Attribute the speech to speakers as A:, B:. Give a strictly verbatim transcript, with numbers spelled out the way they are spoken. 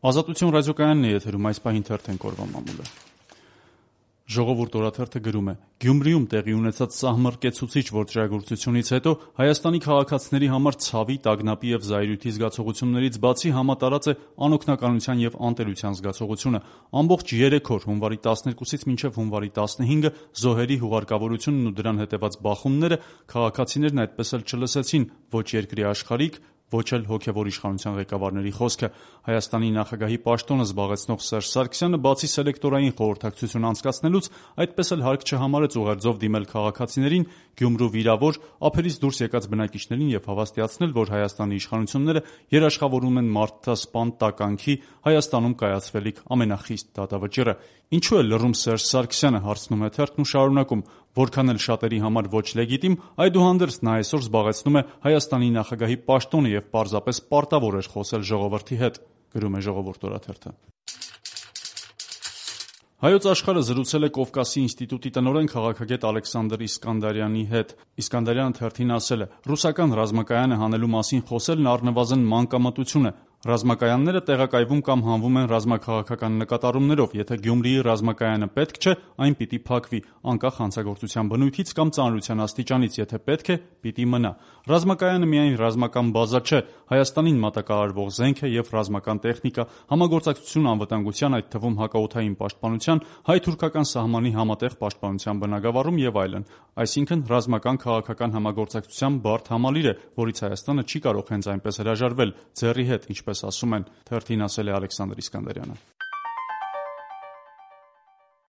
A: Ազատություն ռադիոկայանն է եթերում, այս պահին թերթենք օրվա մամուլը։ Ժողովուրդ օրաթերթը գրում է. Գյումրիում տեղի ունեցած սահմռկեցուցիչ ոճրագործությունից հետո Հայաստանի քաղաքացիների համար ցավի, տագնապի եւ զայրույթի զգացողություններից բացի համատարած է անօգնականության եւ անտերության զգացողությունը։ Ամբողջ երեք օր՝ հունվարի տասներկուսից մինչեւ հունվարի տասնհինգը, զոհերի հուղարկավորությունն ու դրան հետեւած բախումները քաղաքացիներն այդպես էլ չլսեցին ոչ երկրի աշխարհիկ, ոչ էլ հոգևոր իշխանության ղեկավարների խոսքը։ Հայաստանի նախագահի պաշտոնը զբաղեցնող Սերժ Սարգսյանը բացի սելեկտորային խորհրդակցություն անցկացնելուց, այդպես էլ հարկ չհամարեց ուղերձով դիմել քաղաքացիներին, Գյումրու վիրավոր, ափերից դուրս եկած բնակիչներին եւ հավաստիացնել, որ Հայաստանի իշխանությունները երաշխավորում են մարդասպան տականքի Հայաստանում կայացվելիք ամենախիստ դատավճիռը։ Ինչու է լռում Սերժ Սարգսյանը, հարցնում է թերթն ու շարունակում. Որքան էլ շատերի համար ոչ լեգիտիմ, այդուհանդերձ նա այսօր զբաղեցնում է Հայաստանի նախագահի պաշտոնը եւ պարզապես պարտավոր էր խոսել ժողովրդի հետ, գրում է Ժողովուրդ օրաթերթը։ Հայոց աշխարհը զրուցել է Կովկասի ինստիտուտի տնօրեն քաղաքագետ Ալեքսանդր Իսկանդարյանի հետ։ Իսկանդարյանը թերթին ասել է. ռուսական ռազմակայանը հանելու մասին խոսելն առնվազն մանկամտություն է։ Ռազմակայանները տեղակայվում կամ հանվում են ռազմաքաղաքական նկատառումներով, եթե Գյումրիի ռազմակայանը պետք չէ, այն պիտի փակվի, անկախ հանցագործության բնույթից կամ ծանրության աստիճանից, եթե պետք է, պիտի մնա։ Ռազմակայանը միայն ռազմական բազա չէ, Հայաստանին մատակարարվող զենք է եւ ռազմական տեխնիկա, համագործակցություն անվտանգության, այդ թվում հակաօդային պաշտպանության, հայ-թուրքական սահմանի համատեղ պաշտպանության բնագավառում եւ այլն։ Այսինքն ռազմական քաղաքական համագործակցության բարդ համալիր է, որից Հայաստանը չի կարող հենց այնպես հրաժարվել, ձեռի հետ, ինչպես ասում են, թերթին ասել է Ալեքսանդր Իսկանդարյանը։